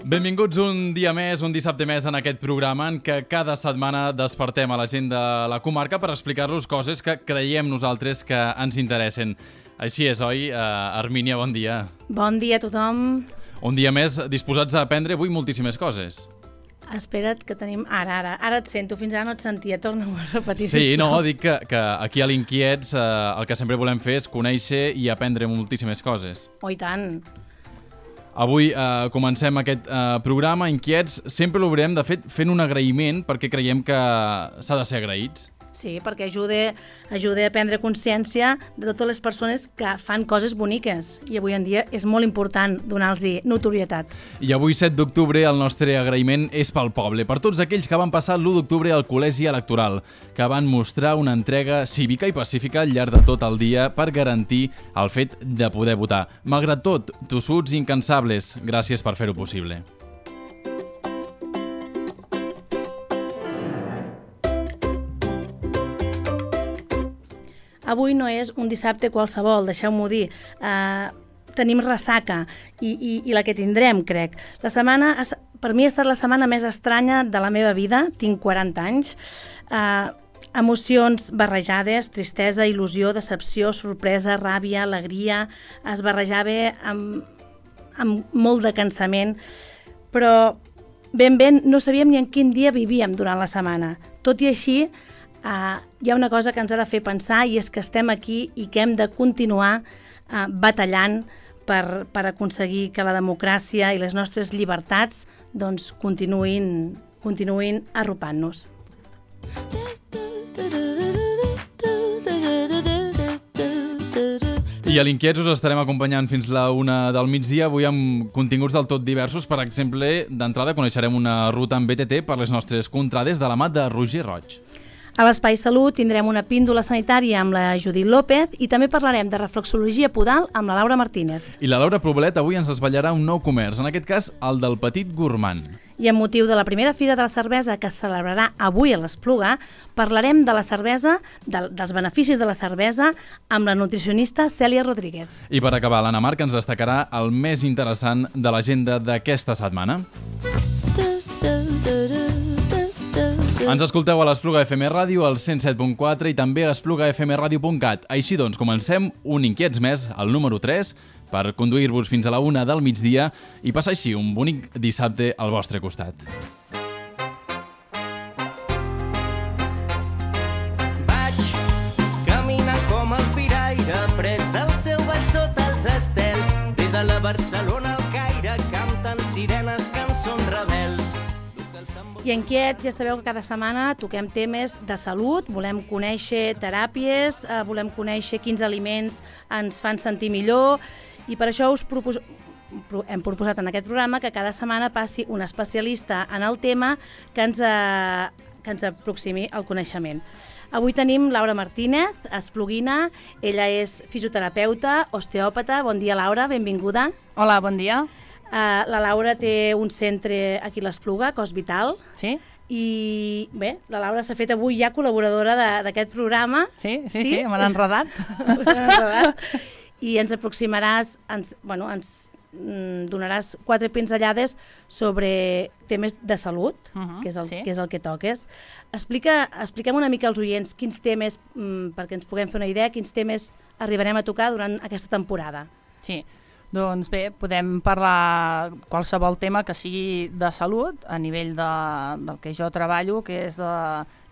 Benvinguts un dia més, un dissabte més en aquest programa en què cada setmana despertem a la gent de la comarca per explicar-los coses que creiem nosaltres que ens interessen. Així és, oi? Armínia, bon dia. Bon dia a tothom. Un dia més disposats a aprendre avui moltíssimes coses. Espera't que tenim... Ara et sento, fins ara no et sentia, torna-ho a repetir. Sí, no, dic que aquí a l'Inquiets el que sempre volem fer és conèixer i aprendre moltíssimes coses. Oh, i tant. Avui comencem aquest programa Inquiets. Sempre l'obrirem, de fet, fent un agraïment perquè creiem que s'ha de ser agraïts. Sí, perquè ajuda a prendre consciència de totes les persones que fan coses boniques. I avui en dia és molt important donar-los notorietat. I avui, 7 d'octubre, el nostre agraïment és pel poble, per tots aquells que van passar l'1 d'octubre al col·legi electoral, que van mostrar una entrega cívica i pacífica al llarg de tot el dia per garantir el fet de poder votar. Malgrat tot, tossuts i incansables, gràcies per fer-ho possible. Avui no és un dissabte qualsevol, deixeu-m'ho dir. Tenim ressaca i la que tindrem, crec. La setmana, per mi ha estat la setmana més estranya de la meva vida, tinc 40 anys. Emocions barrejades, tristesa, il·lusió, decepció, sorpresa, ràbia, alegria, es barrejava amb molt de cansament, però ben no sabíem ni en quin dia vivíem durant la setmana. Tot i així, hi ha una cosa que ens ha de fer pensar i és que estem aquí i que hem de continuar batallant per aconseguir que la democràcia i les nostres llibertats doncs, continuïn arropant-nos. I a l'Inquiets us estarem acompanyant fins la 1 del migdia, avui amb continguts del tot diversos. Per exemple, d'entrada coneixerem una ruta en BTT per les nostres contrades de la mà de Roger Roig. A l'Espai Salut tindrem una píndola sanitària amb la Judit López i també parlarem de reflexologia podal amb la Laura Martínez. I la Laura Poblet avui ens desvetllarà un nou comerç, en aquest cas el del Petit Gourmand. I amb motiu de la primera Fira de la Cervesa que es celebrarà avui a l'Espluga, parlarem de la cervesa, dels beneficis de la cervesa amb la nutricionista Cèlia Rodríguez. I per acabar, l'Anna Marc ens destacarà el més interessant de l'agenda d'aquesta setmana. Ens escolteu a l'Espluga FM Ràdio, al 107.4 i també a esplugafmradio.cat. Així doncs, comencem un Inquiets més, el número 3, per conduir-vos fins a la 1 del migdia i passar així un bonic dissabte al vostre costat. Vaig caminant com el firaire, pres del seu ball sota els estels, des de la Barcelona al Caire, canten sirenes, cançons rebels. I en Quiets ja sabeu que cada setmana toquem temes de salut, volem conèixer teràpies, volem conèixer quins aliments ens fan sentir millor i per això hem proposat en aquest programa que cada setmana passi un especialista en el tema que ens aproximi al coneixement. Avui tenim Laura Martínez, espluguina, ella és fisioterapeuta, osteòpata. Bon dia, Laura, benvinguda. Hola, bon dia. La Laura té un centre aquí a l'Espluga, Cos Vital. Sí. I bé, la Laura s'ha fet avui ja col·laboradora d'aquest programa. Sí, me l'han enredat. I ens aproximaràs, ens donaràs 4 pinzellades sobre temes de salut, que és el que toques. Expliquem una mica als oients quins temes, perquè ens puguem fer una idea, quins temes arribarem a tocar durant aquesta temporada. Sí. Doncs bé, podem parlar qualsevol tema que sigui de salut a nivell del que jo treballo, que és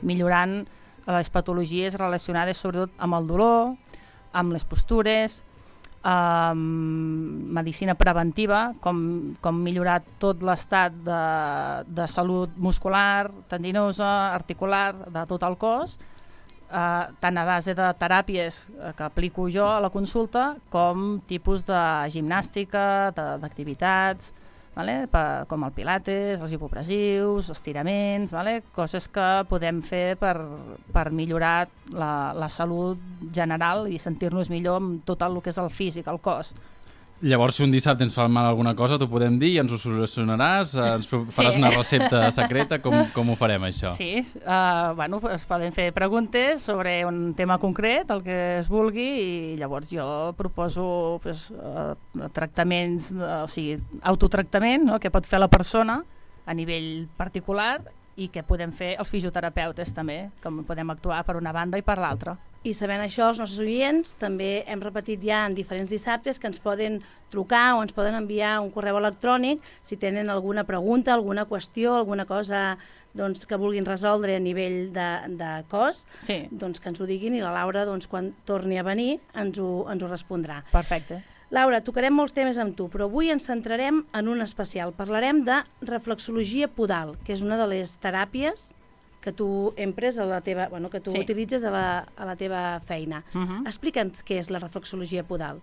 millorant les patologies relacionades sobretot amb el dolor, amb les postures, medicina preventiva, com millorar tot l'estat de salut muscular, tendinosa, articular, de tot el cos, tant a base de teràpies que aplico jo a la consulta com tipus de gimnàstica, d'activitats, com el pilates, els hipopressius, estiraments, coses que podem fer per millorar la salut general i sentir-nos millor amb tot el que és el físic, el cos. Llavors, si un dissabte ens fa mal alguna cosa, t'ho podem dir i ens ho solucionaràs? Ens faràs una recepta secreta? Com ho farem, això? Sí, bueno, es poden fer preguntes sobre un tema concret, el que es vulgui, i llavors jo proposo tractaments, o sigui, autotractament, no?, que pot fer la persona a nivell particular i que podem fer els fisioterapeutes també, com podem actuar per una banda i per l'altra. I sabent això, els nostres oients també hem repetit ja en diferents dissabtes que ens poden trucar o ens poden enviar un correu electrònic si tenen alguna pregunta, alguna qüestió, alguna cosa doncs, que vulguin resoldre a nivell de cos, Sí. doncs que ens ho diguin i la Laura, doncs, quan torni a venir, ens ho respondrà. Perfecte. Laura, tocarem molts temes amb tu, però avui ens centrarem en un especial. Parlarem de reflexologia podal, que és una de les teràpies que tu empres a la teva, bueno, que tu Sí. utilitzes a la teva feina. Explica'ns què és la reflexologia podal.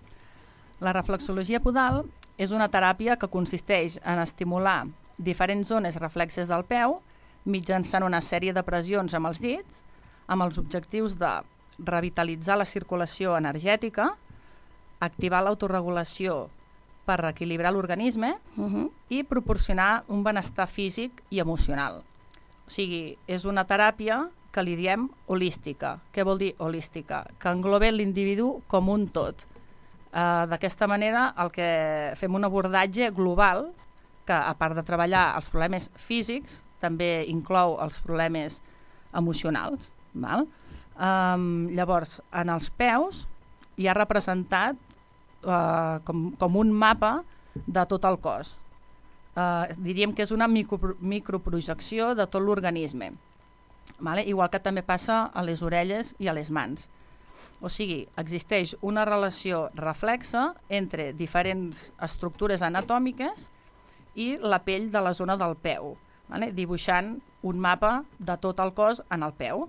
La reflexologia podal és una teràpia que consisteix en estimular diferents zones reflexes del peu mitjançant una sèrie de pressions amb els dits amb els objectius de revitalitzar la circulació energètica, activar l'autoregulació per reequilibrar l'organisme i proporcionar un benestar físic i emocional. O sigui, és una teràpia que li diem holística. Què vol dir holística? Que engloba l'individu com un tot. D'aquesta manera, el que fem un abordatge global, que a part de treballar els problemes físics, també inclou els problemes emocionals. Val? Llavors, en els peus hi ha representat com un mapa de tot el cos. Diríem que és una microprojecció de tot l'organisme. Vale? Igual que també passa a les orelles i a les mans. O sigui, existeix una relació reflexa entre diferents estructures anatòmiques i la pell de la zona del peu, vale? Dibuixant un mapa de tot el cos en el peu.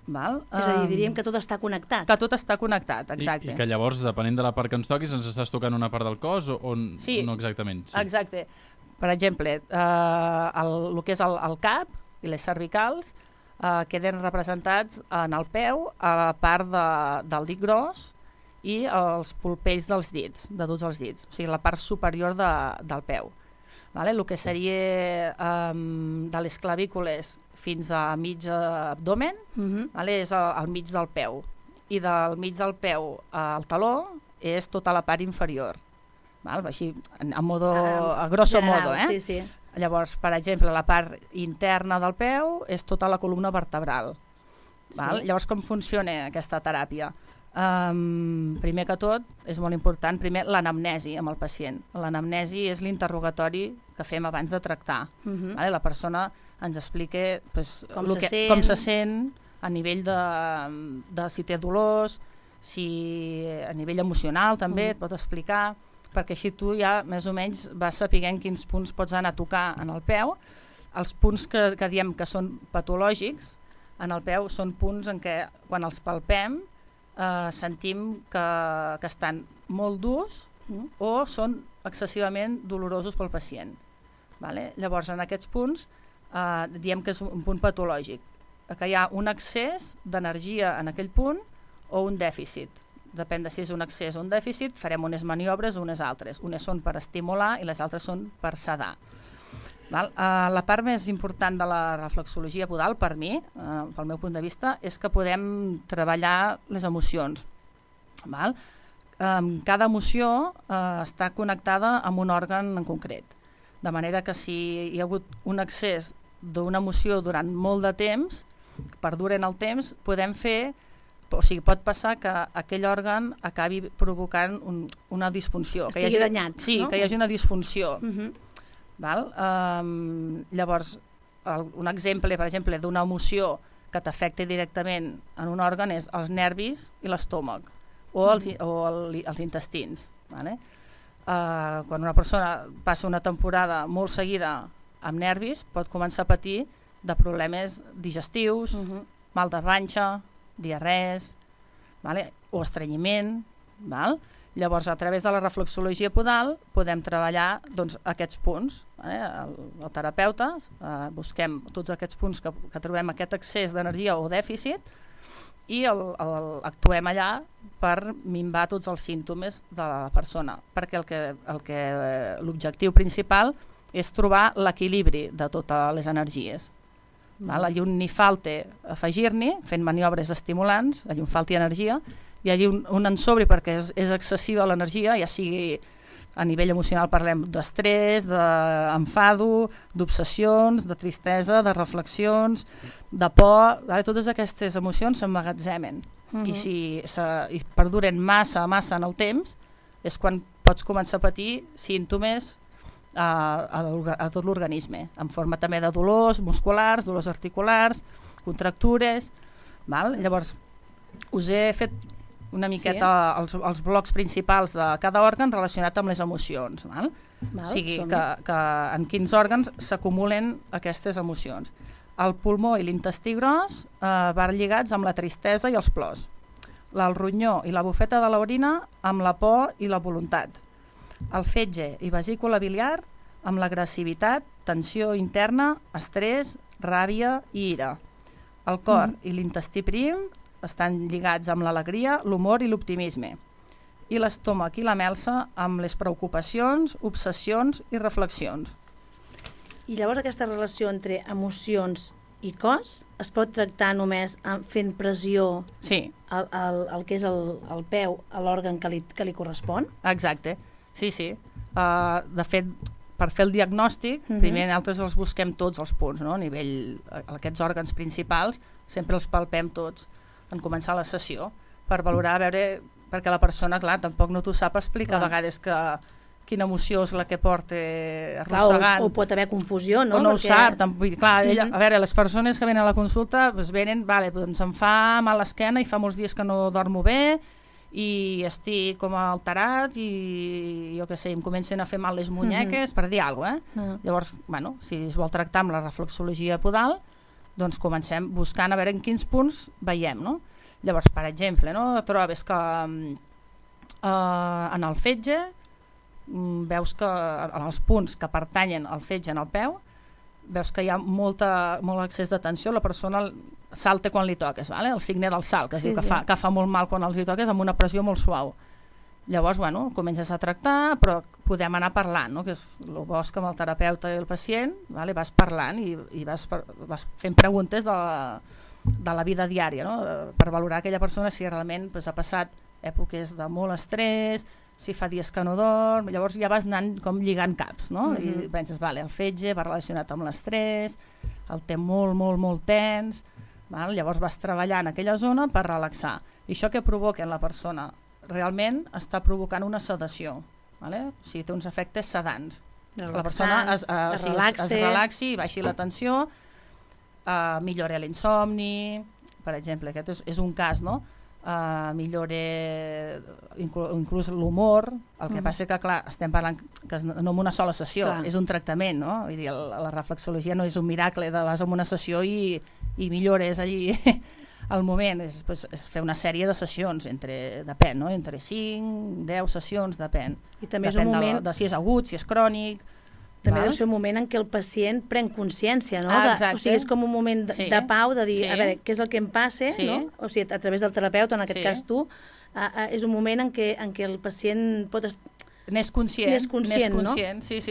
Val? És a dir, diríem que tot està connectat. Que tot està connectat, exacte. I que llavors, depenent de la part que ens toquis, ens estàs tocant una part del cos o Sí. no exactament? Sí. Exacte. Per exemple, el que és el cap i les cervicals queden representats en el peu, a la part del dit gros i els polpells dels dits, de tots els dits, o sigui, la part superior del peu. Vale? El que seria de les clavícules fins a mig abdomen, vale? És al mig del peu. I del mig del peu al taló és tota la part inferior. Val? Així, a grosso general, modo. Sí, sí. Llavors, per exemple, la part interna del peu és tota la columna vertebral. Val? Sí. Llavors, com funciona aquesta teràpia? Primer que tot, és molt important, primer l'anamnesi amb el pacient. L'anamnesi és l'interrogatori que fem abans de tractar. Vale? La persona ens explica com se sent a nivell de si té dolors, si a nivell emocional també et pot explicar, perquè així tu ja més o menys vas sapiguent quins punts pots anar a tocar en el peu. Els punts que diem que són patològics en el peu són punts en què quan els palpem sentim que estan molt durs o són excessivament dolorosos pel pacient. Vale? Llavors, en aquests punts diem que és un punt patològic, que hi ha un excés d'energia en aquell punt o un dèficit. Depèn de si és un excés o un dèficit, farem unes maniobres o unes altres. Unes són per estimular i les altres són per sedar. Val? La part més important de la reflexologia podal, per mi, pel meu punt de vista, és que podem treballar les emocions. Val? Cada emoció està connectada amb un òrgan en concret. De manera que si hi ha hagut un excés d'una emoció durant molt de temps, perduren el temps, podem fer, o sigui, pot passar que aquell òrgan acabi provocant una disfunció. Estigui danyat. Sí, no? que hi hagi una disfunció. Val? Llavors, un exemple, per exemple, d'una emoció que t'afecta directament en un òrgan és els nervis i l'estómac o els intestins. Vale? Quan una persona passa una temporada molt seguida amb nervis, pot començar a patir de problemes digestius, mal de panxa, diarrees, vale? O estrenyiment. Val? Llavors, a través de la reflexologia podal podem treballar doncs, aquests punts. Vale? El terapeuta busquem tots aquests punts que trobem aquest excés d'energia o dèficit i actuem allà per minvar tots els símptomes de la persona, perquè l'objectiu principal és trobar l'equilibri de totes les energies. Allí on n'hi falta afegir-n'hi, fent maniobres estimulants, allí on falti energia, i allí on en sobri perquè és excessiva l'energia, ja sigui a nivell emocional parlem d'estrès, d'enfado, d'obsessions, de tristesa, de reflexions, de por, totes aquestes emocions s'emmagatzemen. I si perduren massa en el temps, és quan pots començar a patir símptomes a tot l'organisme, en forma també de dolors musculars, dolors articulars, contractures. Llavors, us he fet una miqueta els blocs principals de cada òrgan relacionat amb les emocions. O sigui, que en quins òrgans s'acumulen aquestes emocions. El pulmó i l'intestí gros van lligats amb la tristesa i els plors. El ronyó i la bufeta de l'orina amb la por i la voluntat. El fetge i vesícula biliar amb l'agressivitat, tensió interna, estrès, ràbia i ira. El cor i l'intestí prim estan lligats amb l'alegria, l'humor i l'optimisme. I l'estómac i la melsa amb les preocupacions, obsessions i reflexions. I llavors aquesta relació entre emocions i cos es pot tractar només fent pressió al que és el peu, a l'òrgan que li correspon? Exacte, sí. De fet, per fer el diagnòstic, primer nosaltres els busquem tots els punts, a nivell, aquests òrgans principals, sempre els palpem tots en començar la sessió, per valorar, a veure, perquè la persona, clar, tampoc no t'ho sap explicar a vegades quina emoció és la que porta arrossegant. O pot haver confusió, no? O no ho sap. Clar, a veure, les persones que venen a la consulta venen, doncs em fa mal l'esquena i fa molts dies que no dormo bé i estic com alterat i jo què sé, em comencen a fer mal les munyeques, per dir alguna cosa. Llavors, si es vol tractar amb la reflexologia podal, doncs comencem buscant a veure en quins punts veiem, no? Llavors, per exemple, trobes que en el fetge veus que en els punts que pertanyen al fetge en el peu veus que hi ha molt excés de tensió, la persona salta quan li toques, el signe del salt, que es diu que fa molt mal quan els hi toques amb una pressió molt suau. Llavors, comences a tractar, però podem anar parlant, que és el bo que amb el terapeuta i el pacient vas parlant i vas fent preguntes de la vida diària, per valorar aquella persona si realment ha passat èpoques de molt estrès, si fa dies que no dorm. Llavors ja vas anant com lligant caps, i penses, el fetge va relacionat amb l'estrès, el té molt tens, llavors vas treballar en aquella zona per relaxar. I això que provoca en la persona realment està provocant una sedació, o sigui, té uns efectes sedants. La persona es relaxi i baixi la tensió, millora l'insomni, per exemple, aquest és un cas, millora inclús l'humor. El que passa que, clar, estem parlant que no en una sola sessió, és un tractament, Vull dir, la reflexologia no és un miracle de vas a una sessió i millores allí al moment, és fer una sèrie de sessions, depèn, entre 5, 10 sessions, depèn. I també és un moment de si és agut, si és crònic. També deu ser un moment en què el pacient pren consciència, no? O sigui, és com un moment de pau, de dir, a veure, què és el que em passa, no? O sigui, a través del terapeuta, en aquest cas tu, és un moment en què el pacient pot estar... N'és conscient, no? Sí.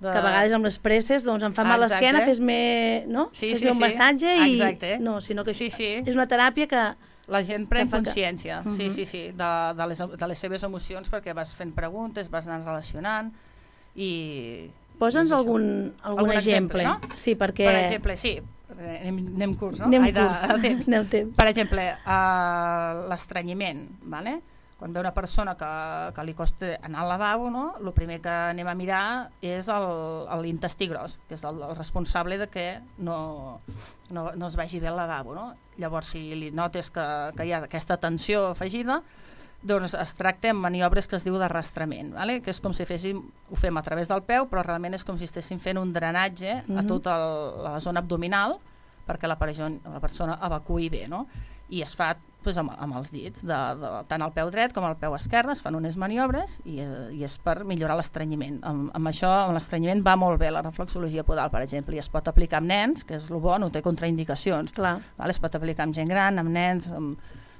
Que a vegades amb les presses em fa mal l'esquena, fes-me un massatge i... No, sinó que és una teràpia que... La gent pren consciència, sí, de les seves emocions, perquè vas fent preguntes, vas anant relacionant i... Posa'ns algun exemple. Sí, perquè... Per exemple, sí, anem curts, no? Anem temps. Per exemple, l'estranyiment, quan ve una persona que li costa anar al lavabo, el primer que anem a mirar és l'intestí gros, que és el responsable de que no es vagi bé al lavabo. Llavors, si li notes que hi ha aquesta tensió afegida, doncs es tracta amb maniobres que es diu d'arrastrament, que és com si ho fem a través del peu, però realment és com si estéssim fent un drenatge a tota la zona abdominal perquè la persona evacui bé, i es fa doncs, amb els dits, tant al peu dret com al peu esquerre, es fan unes maniobres i és per millorar l'estrenyiment. Amb això, amb l'estrenyiment va molt bé la reflexologia podal, per exemple, i es pot aplicar amb nens, que és el bo, no té contraindicacions. Clar. Es pot aplicar amb gent gran, amb nens...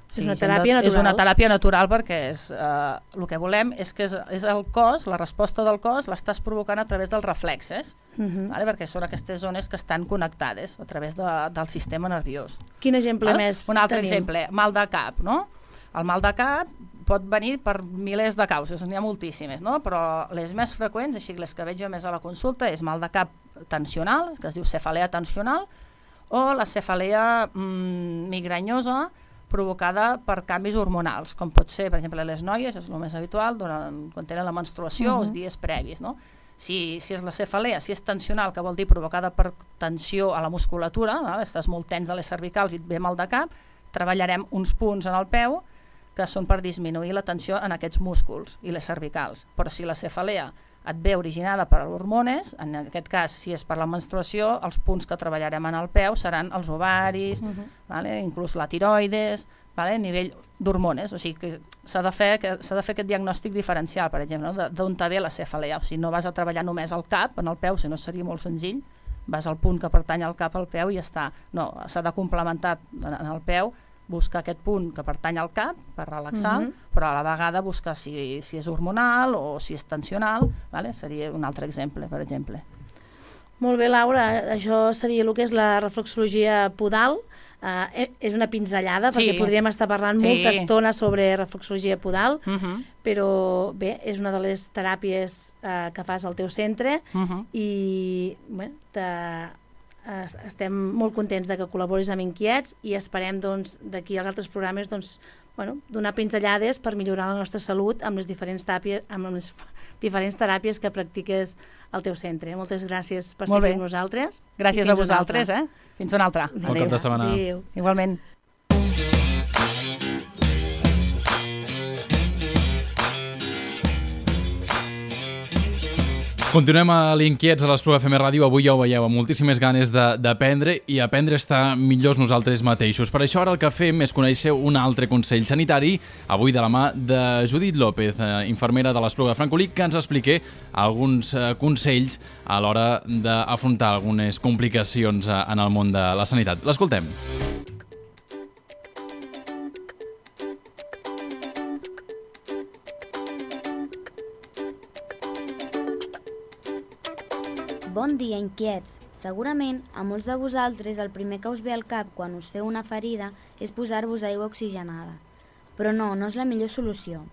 És una teràpia natural. És una teràpia natural perquè el que volem és que és el cos, la resposta del cos l'estàs provocant a través dels reflexes, perquè són aquestes zones que estan connectades a través del sistema nerviós. Quin exemple més Un altre tenim? exemple, mal de cap, no? El mal de cap pot venir per milers de causes, n'hi ha moltíssimes, no? Però les més freqüents, així les que veig jo més a la consulta, és mal de cap tensional, que es diu cefalea tensional, o la cefalea migranyosa, provocada per canvis hormonals, com pot ser, per exemple, les noies, és el més habitual, quan tenen la menstruació o els dies previs, no? Si és la cefalea, si és tensional, que vol dir provocada per tensió a la musculatura, estàs molt tens de les cervicals i et ve mal de cap, treballarem uns punts en el peu que són per disminuir la tensió en aquests músculs i les cervicals. Però si la cefalea et ve originada per hormones, en aquest cas, si és per la menstruació, els punts que treballarem en el peu seran els ovaris, inclús la tiroides, a nivell d'hormones. O sigui que s'ha de fer aquest diagnòstic diferencial, per exemple, d'on te ve la cefalea. O sigui, no vas a treballar només al cap, en el peu, si no seria molt senzill, vas al punt que pertany al cap al peu i ja està. No, s'ha de complementar en el peu, buscar aquest punt que pertany al cap per relaxar, però a la vegada buscar si és hormonal o si és tensional, seria un altre exemple, per exemple. Molt bé, Laura, això seria el que és la reflexologia podal. És una pinzellada, perquè podríem estar parlant molta estona sobre reflexologia podal, però bé, és una de les teràpies que fas al teu centre i bé, estem molt contents de que col·laboris amb Inquiets i esperem d'aquí als altres programes donar pinzellades per millorar la nostra salut amb les diferents teràpies que practiques al teu centre. Moltes gràcies per ser amb nosaltres. Gràcies a vosaltres. Fins una altra. Bon cap de setmana. Igualment. Continuem a l'Inquiets a l'Espluga FM Ràdio. Avui ja ho veieu, amb moltíssimes ganes d'aprendre i aprendre a estar millors nosaltres mateixos. Per això ara el que fem és conèixer un altre consell sanitari, avui de la mà de Judit López, infermera de l'Espluga de Francolí, que ens expliqui alguns consells a l'hora d'afrontar algunes complicacions en el món de la sanitat. L'escoltem. Bon dia, inquiets! Segurament, a molts de vosaltres el primer que us ve al cap quan us feu una ferida és posar-vos aigua oxigenada. Però no és la millor solució.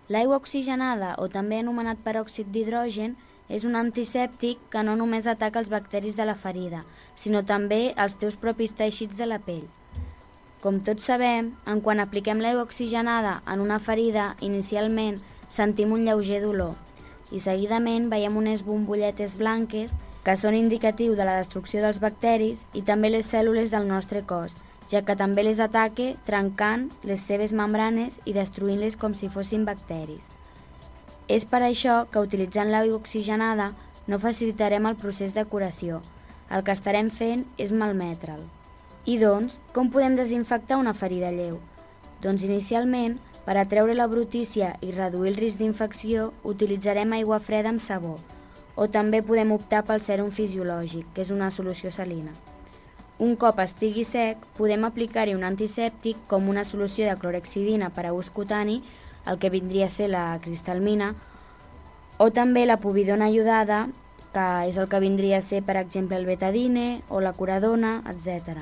L'aigua oxigenada, o també anomenat peròxid d'hidrogen, és un antisèptic que no només ataca els bacteris de la ferida, sinó també els teus propis teixits de la pell. Com tots sabem, quan apliquem l'aigua oxigenada en una ferida, inicialment sentim un lleuger dolor, i seguidament veiem unes bombolletes blanques que són indicatiu de la destrucció dels bacteris i també les cèl·lules del nostre cos, ja que també les ataca trencant les seves membranes i destruint-les com si fossin bacteris. És per això que utilitzant l'aigua oxigenada no facilitarem el procés de curació. El que estarem fent és malmetre'l. I doncs, com podem desinfectar una ferida lleu? Doncs inicialment, per atreure la brutícia i reduir el risc d'infecció, utilitzarem aigua freda amb sabó, o també podem optar pel sèrum fisiològic, que és una solució salina. Un cop estigui sec, podem aplicar-hi un antisèptic com una solució de clorhexidina per a ús cutani, el que vindria a ser la cristalmina, o també la povidona iodada, que és el que vindria a ser, per exemple, el betadine o la curadona, etc.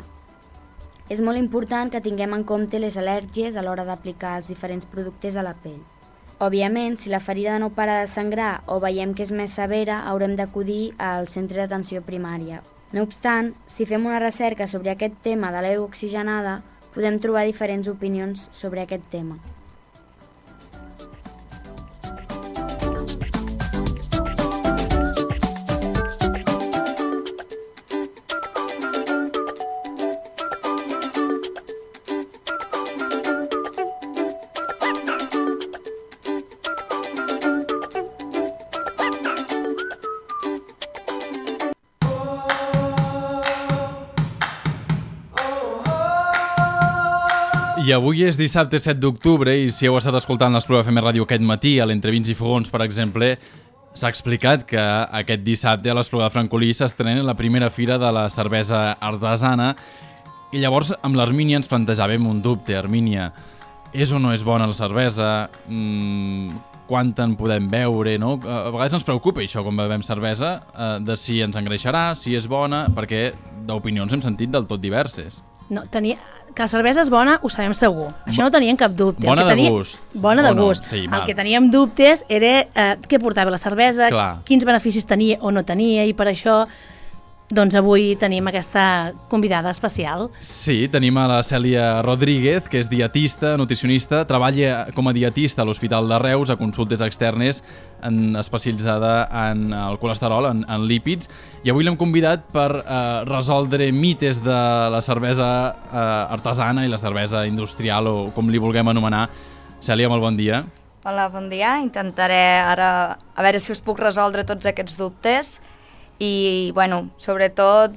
És molt important que tinguem en compte les al·lèrgies a l'hora d'aplicar els diferents productes a la pell. Òbviament, si la ferida no para de sangrar o veiem que és més severa, haurem d'acudir al centre d'atenció primària. No obstant, si fem una recerca sobre aquest tema de l'aigua oxigenada, podem trobar diferents opinions sobre aquest tema. I avui és dissabte 7 d'octubre i si heu estat escoltant l'Espluga FM Ràdio aquest matí, a l'Entre Vins i Fogons, per exemple, s'ha explicat que aquest dissabte a l'Espluga de Francolí s'estrena la primera fira de la cervesa artesana i llavors amb l'Armínia ens plantejàvem un dubte. Armínia, és o no és bona la cervesa? Quant en podem beure, no? A vegades ens preocupa això quan bevem cervesa, de si ens engreixarà, si és bona, perquè d'opinions hem sentit del tot diverses. No, que la cervesa és bona ho sabem segur, això no teníem cap dubte. Bona de gust. Bona de gust. Sí, el que teníem dubtes era què portava la cervesa, quins beneficis tenia o no tenia, i per això doncs avui tenim aquesta convidada especial. Sí, tenim a la Cèlia Rodríguez, que és dietista, nutricionista, treballa com a dietista a l'Hospital de Reus, a consultes externes, especialitzada en el colesterol, en lípids, i avui l'hem convidat per resoldre mites de la cervesa artesana i la cervesa industrial, o com li vulguem anomenar. Cèlia, molt bon dia. Hola, bon dia. Intentaré ara a veure si us puc resoldre tots aquests dubtes i, bueno, sobretot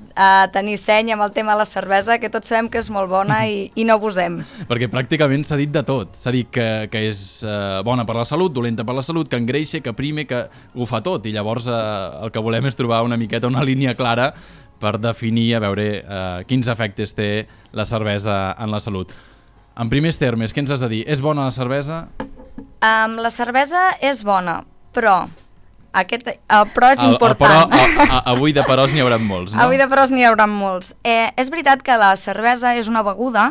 tenir seny amb el tema de la cervesa, que tots sabem que és molt bona i no abusem. Perquè pràcticament s'ha dit de tot. S'ha dit que és bona per la salut, dolenta per la salut, que engreixa, que prime, que ho fa tot. I llavors el que volem és trobar una miqueta una línia clara per definir, a veure quins efectes té la cervesa en la salut. En primers termes, què ens has de dir? És bona la cervesa? La cervesa és bona, però... el però és important. Avui de peròs n'hi haurà molts, no? Avui de peròs n'hi haurà molts. És veritat que la cervesa és una beguda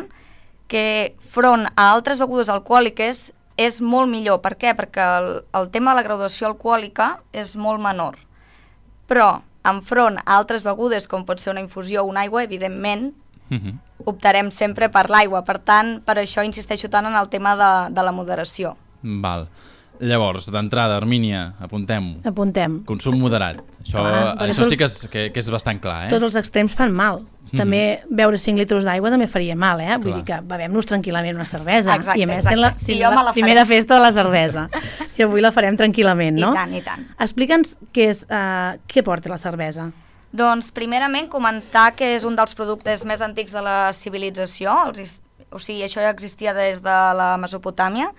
que, front a altres begudes alcohòliques, és molt millor. Per què? Perquè el tema de la graduació alcohòlica és molt menor. Però, enfront a altres begudes, com pot ser una infusió o una aigua, evidentment, optarem sempre per l'aigua. Per tant, per això insisteixo tant en el tema de la moderació. Val. Llavors, d'entrada, Armínia, apuntem-ho. Apuntem. Consum moderat. Això sí que és bastant clar, Tots els extrems fan mal. També beure 5 litres d'aigua també faria mal, Vull dir que bevem-nos tranquil·lament una cervesa. Exacte, i a més sent la primera festa de la cervesa. I avui la farem tranquil·lament, no? I tant, i tant. Explica'ns què porta la cervesa. Doncs, primerament, comentar que és un dels productes més antics de la civilització. O sigui, això ja existia des de la Mesopotàmia.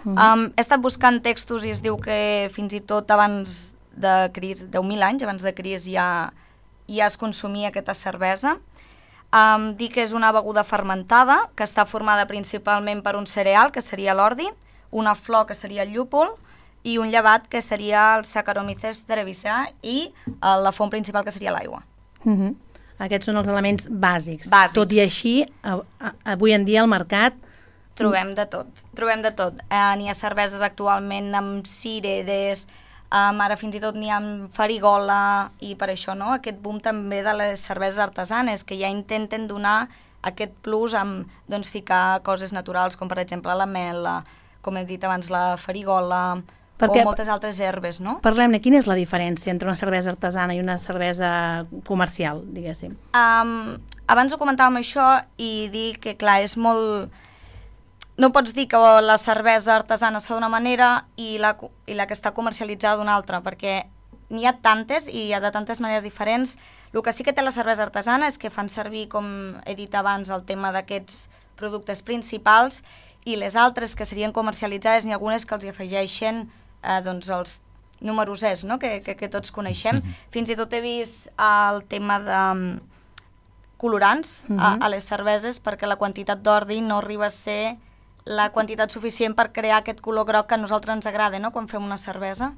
He estat buscant textos i es diu que fins i tot abans de Crist, 10.000 anys abans de Crist ja es consumia aquesta cervesa. Dir que és una beguda fermentada que està formada principalment per un cereal, que seria l'ordi, una flor, que seria el llúpol, i un llevat, que seria el Saccharomyces cerevisiae, i la font principal, que seria l'aigua. Aquests són els elements bàsics. Tot i així, avui en dia al mercat trobem de tot. N'hi ha cerveses actualment amb cireres, ara fins i tot n'hi ha amb farigola, i per això aquest boom també de les cerveses artesanes, que ja intenten donar aquest plus amb ficar coses naturals, com per exemple la mel, com he dit abans, la farigola, o moltes altres herbes, no? Parlem-ne, quina és la diferència entre una cervesa artesana i una cervesa comercial, diguéssim? Abans ho comentàvem això i dir que, clar, és molt... No pots dir que la cervesa artesana es fa d'una manera i la que està comercialitzada d'una altra, perquè n'hi ha tantes i hi ha de tantes maneres diferents. El que sí que té la cervesa artesana és que fan servir, com he dit abans, el tema d'aquests productes principals, i les altres que serien comercialitzades, n'hi ha algunes que els hi afegeixen els numerosers, no? que tots coneixem. Fins i tot he vist el tema de colorants a les cerveses, perquè la quantitat d'ordi no arriba a ser la quantitat suficient per crear aquest color groc que a nosaltres ens agrada, no?, quan fem una cervesa.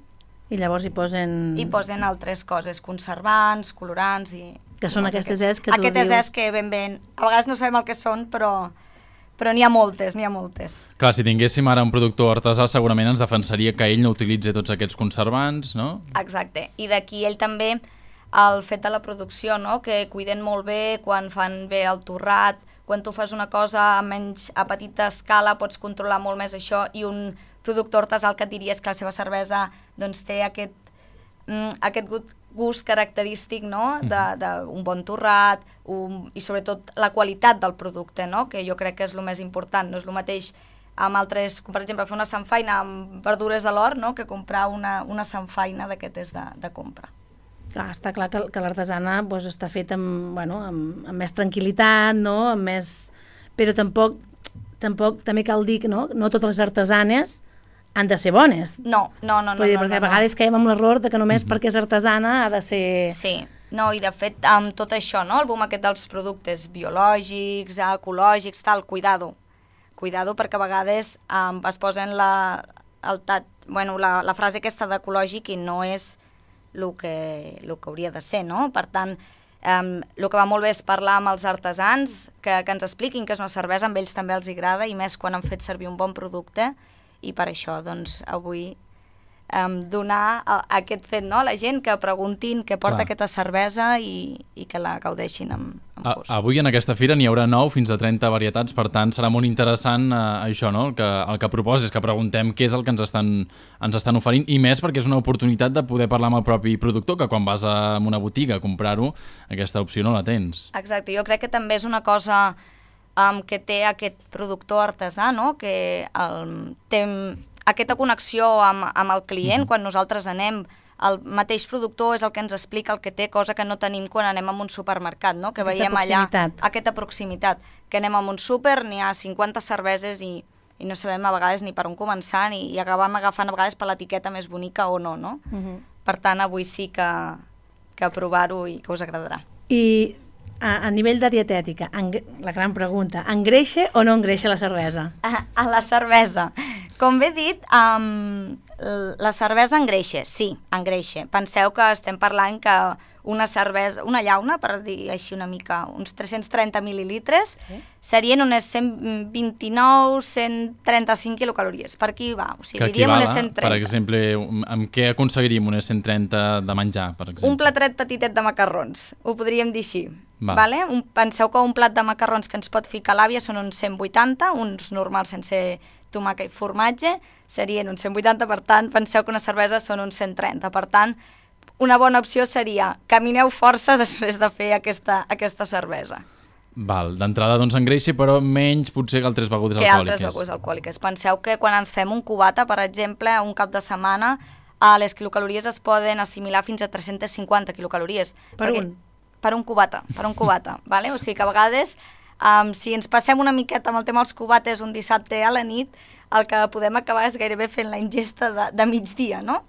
I llavors hi posen... Hi posen altres coses, conservants, colorants i... Que són aquestes que tu dius... Aquestes que ben... A vegades no sabem el que són, però n'hi ha moltes, Clar, si tinguéssim ara un productor artesà, segurament ens defensaria que ell no utilitzi tots aquests conservants, no? Exacte, i d'aquí ell també el fet de la producció, no?, que cuiden molt bé quan fan bé el torrat. Quan tu fas una cosa a petita escala pots controlar molt més això, i un productor artesà el que et diria és que la seva cervesa té aquest gust característic, no?, d'un bon torrat, i sobretot la qualitat del producte, no?, que jo crec que és el més important. No és el mateix amb altres, com per exemple fer una samfaina amb verdures de l'hort, no?, que comprar una samfaina d'aquestes de compra. Clar, està clar que l'artesana està feta amb més tranquil·litat, no? Però tampoc tampoc també cal dir que no totes les artesanes han de ser bones. No. Perquè a vegades caiem amb l'error de que només perquè és artesana ha de ser... Sí, no, i de fet amb tot això, no? El boom aquest dels productes biològics, ecològics, tal, cuidado perquè a vegades es posen la frase aquesta d'ecològic i no és el que hauria de ser, no? Per tant, el que va molt bé és parlar amb els artesans, que ens expliquin què és una cervesa, amb ells també els agrada, i més quan han fet servir un bon producte, i per això, doncs, avui donar aquest fet, no?, a la gent que preguntin què porta aquesta cervesa i que la gaudeixin amb gust. Avui en aquesta fira n'hi haurà 9 fins a 30 varietats, per tant serà molt interessant això, no?, el que proposes, que preguntem què és el que ens estan oferint, i més perquè és una oportunitat de poder parlar amb el propi productor, que quan vas a una botiga a comprar-ho, aquesta opció no la tens. Exacte, jo crec que també és una cosa que té aquest productor artesà, no?, que té aquesta connexió amb el client. Quan nosaltres anem, el mateix productor és el que ens explica el que té, cosa que no tenim quan anem a un supermercat, no?, que veiem allà aquesta proximitat, que anem a un súper, n'hi ha 50 cerveses i no sabem a vegades ni per on començar i acabem agafant a vegades per l'etiqueta més bonica o no, no? Per tant, avui sí que provar-ho i que us agradarà. I a nivell de dietètica, la gran pregunta, engreixa o no engreixa la cervesa? A la cervesa. Com bé dit, la cervesa engreixa, sí, engreixa. Penseu que estem parlant que una cervesa, una llauna, per dir així una mica, uns 330 mil·lilitres, serien unes 129, 135 quilocalories. Per aquí va, o sigui, diríem unes 130. Per exemple, amb què aconseguiríem unes 130 de menjar, per exemple? Un platret petitet de macarrons, ho podríem dir així. Vale? Penseu que un plat de macarrons que ens pot ficar l'àvia són uns 180, uns normals sense tomàquet i formatge, serien uns 180, per tant, penseu que una cervesa són uns 130. Per tant, una bona opció seria camineu força després de fer aquesta cervesa. Val, d'entrada doncs engreixa, però menys potser que altres begudes alcohòliques. Que altres begudes alcohòliques. Penseu que quan ens fem un cubata, per exemple, un cap de setmana, les quilocalories es poden assimilar fins a 350 quilocalories. Per un cubata, vale? O sigui que a vegades, si ens passem una miqueta amb el tema dels cubates un dissabte a la nit, el que podem acabar és gairebé fent la ingesta de migdia, no?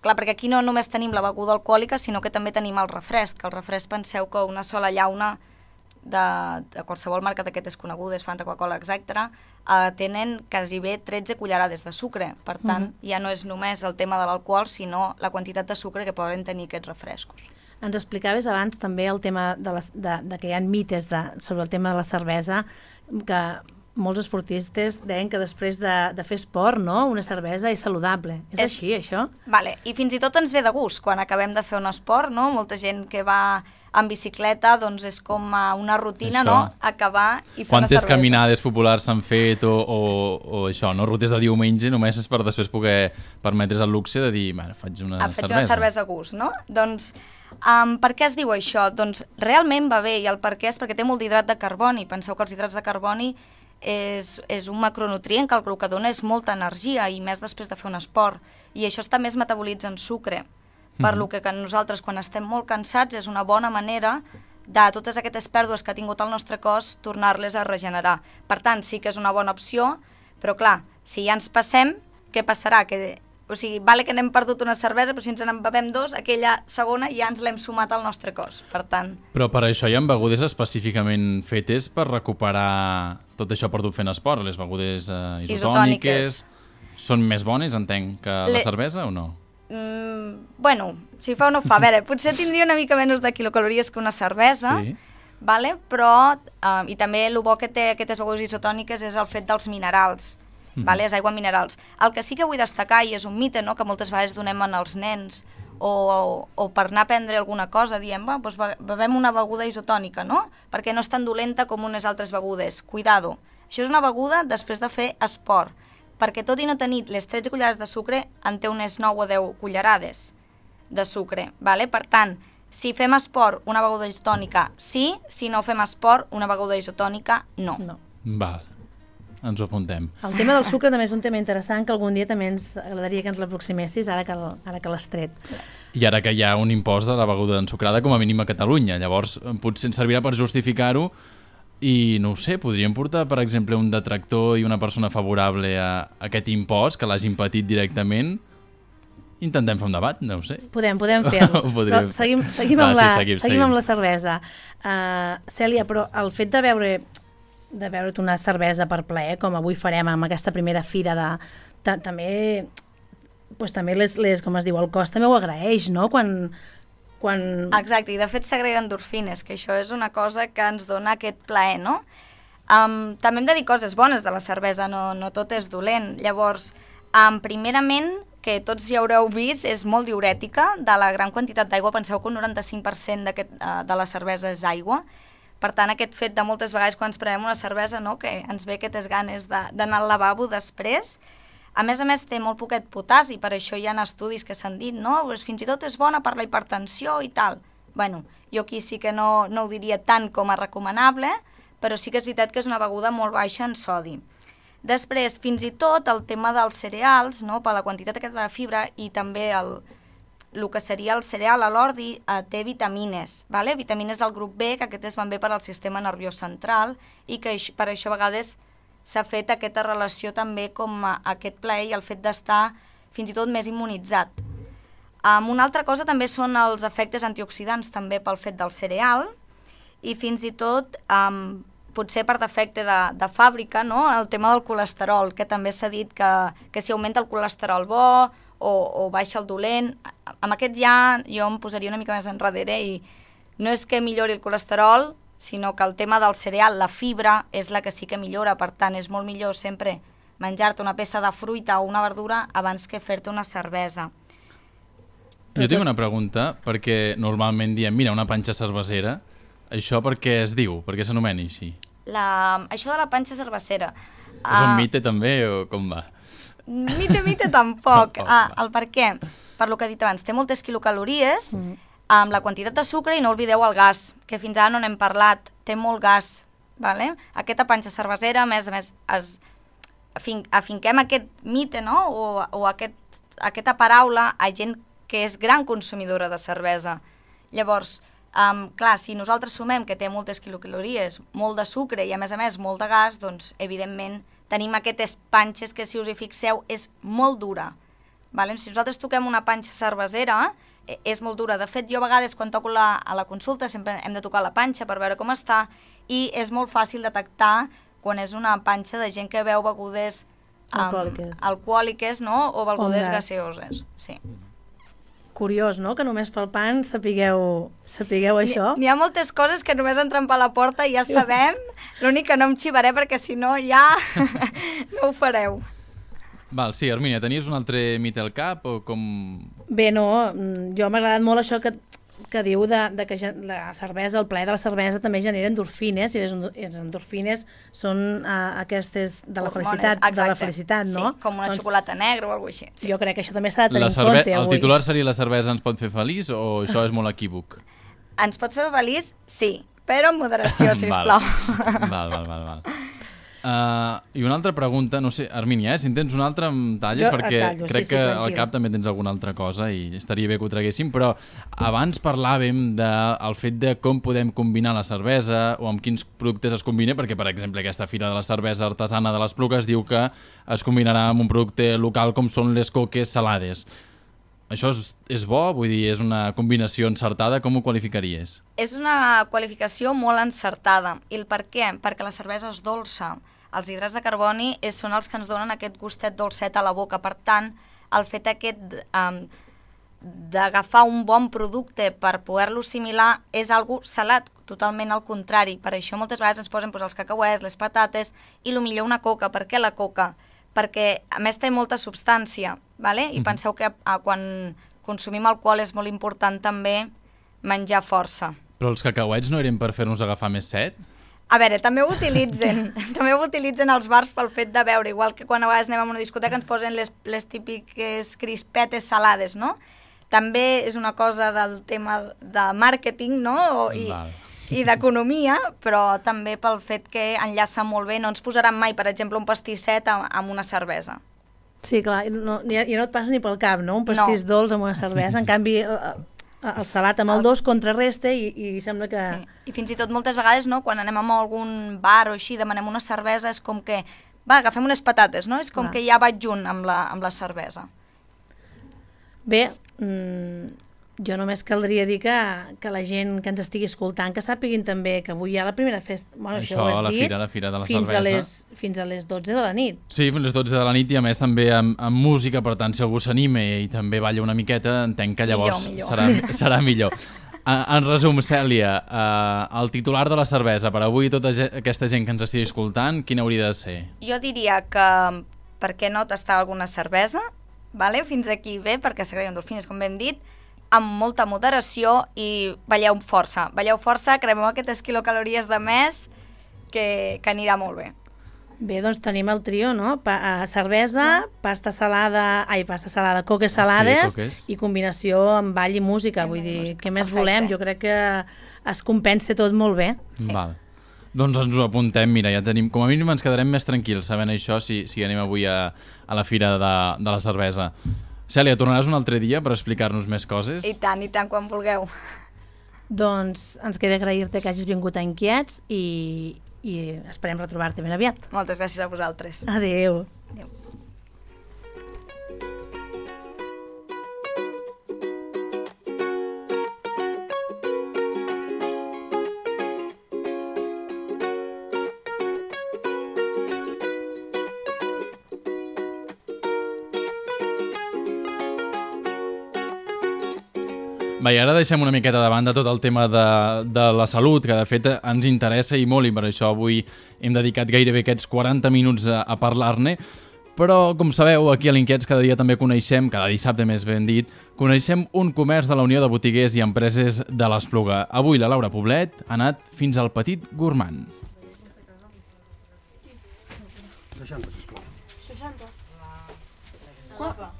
Clar, perquè aquí no només tenim la beguda alcohòlica, sinó que també tenim el refresc. El refresc, penseu que una sola llauna de qualsevol marca d'aquestes conegudes, Fanta, Coca-Cola, etc., tenen quasi bé 13 cullerades de sucre. Per tant, ja no és només el tema de l'alcohol, sinó la quantitat de sucre que poden tenir aquests refrescos. Ens explicaves abans també el tema de que hi ha mites sobre el tema de la cervesa, que molts esportistes deien que després de fer esport, no?, una cervesa és saludable. És així, això? Vale, i fins i tot ens ve de gust quan acabem de fer un esport, no? Molta gent que va en bicicleta, doncs és com una rutina, això, no?, acabar i fer una cervesa. Quantes caminades populars s'han fet o això, no?, rutes de diumenge, només és per després poder permetre's el luxe de dir, bueno, faig una cervesa. Faig una cervesa a gust, no? Doncs per què es diu això? Doncs realment va bé, i el per què és perquè té molt d'hidrat de carboni. Penseu que els hidrats de carboni és un macronutrient que el que dona és molta energia, i més després de fer un esport, i això també es metabolitza en sucre, per lo que nosaltres quan estem molt cansats és una bona manera de totes aquestes pèrdues que ha tingut el nostre cos tornar-les a regenerar. Per tant, sí que és una bona opció, però clar, si ja ens passem, què passarà? O sigui, vale que n'hem perdut una cervesa, però si ens en bevem dos, aquella segona ja ens l'hem sumat al nostre cos, per tant... Però per això hi ha begudes específicament fetes per recuperar tot això perdut fent esport. Les begudes isotòniques són més bones, entenc, que la cervesa o no? Bueno, si fa o no fa. A veure, potser tindria una mica menys de quilocalories que una cervesa, sí, vale? Però, i també el bo que té aquestes begudes isotòniques és el fet dels minerals. Vale? És aigua minerals. El que sí que vull destacar, i és un mite, no?, que moltes vegades donem als nens o per anar a prendre alguna cosa, diem, doncs bevem una beguda isotònica, no?, perquè no és tan dolenta com unes altres begudes. Cuidado, això és una beguda després de fer esport, perquè tot i no tenir les 13 cullerades de sucre, en té unes 9 o 10 cullerades de sucre. Vale? Per tant, si fem esport, una beguda isotònica sí, si no fem esport, una beguda isotònica no. Val. Ens ho apuntem. El tema del sucre també és un tema interessant que algun dia també ens agradaria que ens l'aproximessis, ara que l'has tret. I ara que hi ha un impost de la beguda ensucrada, com a mínim a Catalunya, llavors potser ens servirà per justificar-ho I no ho sé, podríem portar, per exemple, un detractor i una persona favorable a aquest impost, que l'hagin patit directament. Intentem fer un debat, no ho sé. Podem fer-ho. Però seguim amb la cervesa. Cèlia, però el fet de beure't una cervesa per plaer, com avui farem amb aquesta primera fira, també com es diu, el cos també ho agraeix, no? Quan... Exacte, i de fet s'agrega endorfines, que això és una cosa que ens dona aquest plaer, no? També hem de dir coses bones de la cervesa, no tot és dolent. Llavors, primerament, que tots ja haureu vist, és molt diurètica, de la gran quantitat d'aigua. Penseu que un 95% de la cervesa és aigua. Per tant, aquest fet de moltes vegades quan ens prenem una cervesa, no?, que ens ve aquestes ganes d'anar al lavabo després. A més, té molt poquet potassi, per això hi ha estudis que s'han dit, no?, pues fins i tot és bona per la hipertensió i tal. Bueno, jo aquí sí que no ho diria tant com a recomanable, però sí que és veritat que és una beguda molt baixa en sodi. Després, fins i tot, el tema dels cereals, no?, per la quantitat aquesta de fibra i també el que seria el cereal, l'ordi, té vitamines, ¿vale? Vitamines del grup B, que aquestes van bé per al sistema nerviós central i que per això a vegades s'ha fet aquesta relació també com aquest plaer i el fet d'estar fins i tot més immunitzat. Una altra cosa també són els efectes antioxidants també pel fet del cereal i fins i tot potser per defecte de fàbrica, no?, el tema del colesterol, que també s'ha dit que si augmenta el colesterol bo o baixa el dolent. Amb aquest ja jo em posaria una mica més enrere i no és que millori el colesterol, sinó que el tema del cereal, la fibra, és la que sí que millora. Per tant, és molt millor sempre menjar-te una peça de fruita o una verdura abans que fer-te una cervesa. Jo tinc una pregunta, perquè normalment diem, mira, una panxa cervesera. Això per què es diu? Per què s'anomena així? Això de la panxa cervesera... És un mite també o com va? Mite tampoc. El per què? Per lo que he dit abans, té moltes quilocalories, amb la quantitat de sucre i no oblideu el gas, que fins ara no n'hem parlat, té molt gas. Vale? Aquesta panxa cervesera, a més, afinquem aquest mite, no?, o aquesta paraula a gent que és gran consumidora de cervesa. Llavors, clar, si nosaltres sumem que té moltes quilocalories, molt de sucre i a més molt de gas, doncs evidentment tenim aquestes panxes que, si us hi fixeu, és molt dura. Vale? Si nosaltres toquem una panxa cervesera, és molt dura. De fet, jo a vegades quan toco a la consulta sempre hem de tocar la panxa per veure com està i és molt fàcil detectar quan és una panxa de gent que beu begudes alcohòliques, no?, o begudes gaseoses. Sí. Curiós, no?, que només pel pan sapigueu això. N'hi ha moltes coses que només entren per la porta i ja sabem, l'únic que no em xivaré perquè si no ja no ho fareu. Val, sí, Hermínia, tenies un altre mite al cap o com... Bé, no, jo m'ha agradat molt això que diu que la cervesa, el plaer de la cervesa també genera endorfines, i les endorfines són aquestes de la felicitat, no? Sí, com una xocolata negra o alguna cosa així. Sí. Jo crec que això també s'ha de tenir en compte avui. El titular seria la cervesa ens pot fer feliç o això és molt equívoc? Ens pot fer feliç, sí, però amb moderació, sisplau. Val. I una altra pregunta, no sé, Hermínia, si en tens una altra em talles, perquè crec que al cap també tens alguna altra cosa i estaria bé que ho traguéssim, però abans parlàvem del fet de com podem combinar la cervesa o amb quins productes es combina, perquè, per exemple, aquesta fira de la cervesa artesana de l'Espluga es diu que es combinarà amb un producte local com són les coques salades. Això és bo? Vull dir, és una combinació encertada? Com ho qualificaries? És una qualificació molt encertada. I el per què? Perquè la cervesa és dolça. Els hidrats de carboni són els que ens donen aquest gustet dolcet a la boca. Per tant, el fet aquest d'agafar un bon producte per poder-lo assimilar és algo salat, totalment al contrari. Per això moltes vegades ens posen els cacauets, les patates i millor una coca. Per què la coca? Perquè a més té molta substància, ¿vale? I penseu que quan consumim alcohol és molt important també menjar força. Però els cacauets no eren per fer-nos agafar més set? A veure, també ho utilitzen els bars pel fet de beure, igual que quan a vegades anem a una discoteca ens posen les típiques crispetes salades, no? També és una cosa del tema de màrqueting, no? I d'economia, però també pel fet que enllaça molt bé. No ens posaran mai, per exemple, un pastisset amb una cervesa. Sí, clar, ja no et passa ni pel cap, no? Un pastís dolç amb una cervesa. En canvi, el salat amb el dolç contrarresta i sembla que... Sí. I fins i tot moltes vegades, no, quan anem a algun bar o així, demanem una cervesa, és com que, va, agafem unes patates, no? És com que ja vaig junt amb la cervesa. Bé, jo només caldria dir que la gent que ens estigui escoltant, que sàpiguin també que avui hi ha la primera festa. Bueno, això ho has dit, la fira de la cervesa. Fins a les 12 de la nit. Sí, fins a les 12 de la nit i a més també amb música, per tant, si algú s'anima i també balla una miqueta, entenc que llavors serà millor. En resum, Cèlia, el titular de la cervesa per avui, tota aquesta gent que ens estigui escoltant, quin hauria de ser? Jo diria que, per què no tastar alguna cervesa? Vale? Fins aquí bé, perquè s'agrada endorfines, com ben dit, amb molta moderació i balleu força. Balleu força, cremeu aquestes quilocalories de més, que anirà molt bé. Bé, doncs tenim el trio, no? Cervesa, pasta salada, coques salades i combinació amb ball i música. Vull dir, què més volem? Jo crec que es compensa tot molt bé. Val. Doncs ens ho apuntem, mira, ja tenim, com a mínim ens quedarem més tranquils sabent això si anem avui a la fira de la cervesa. Cèlia, tornaràs un altre dia per explicar-nos més coses? I tant, quan vulgueu. Doncs ens queda agrair-te que hagis vingut a Inquiets i esperem retrobar-te ben aviat. Moltes gràcies a vosaltres. Adéu. Adéu. Va, i ara deixem una miqueta de banda tot el tema de la salut, que de fet ens interessa i molt, i per això avui hem dedicat gairebé aquests 40 minuts a parlar-ne. Però, com sabeu, aquí a l'Inquiets cada dia també coneixem, cada dissabte més ben dit, coneixem un comerç de la Unió de Botiguers i Empreses de l'Espluga. Avui la Laura Poblet ha anat fins al Petit Gourmand. 60, sisplau. 60?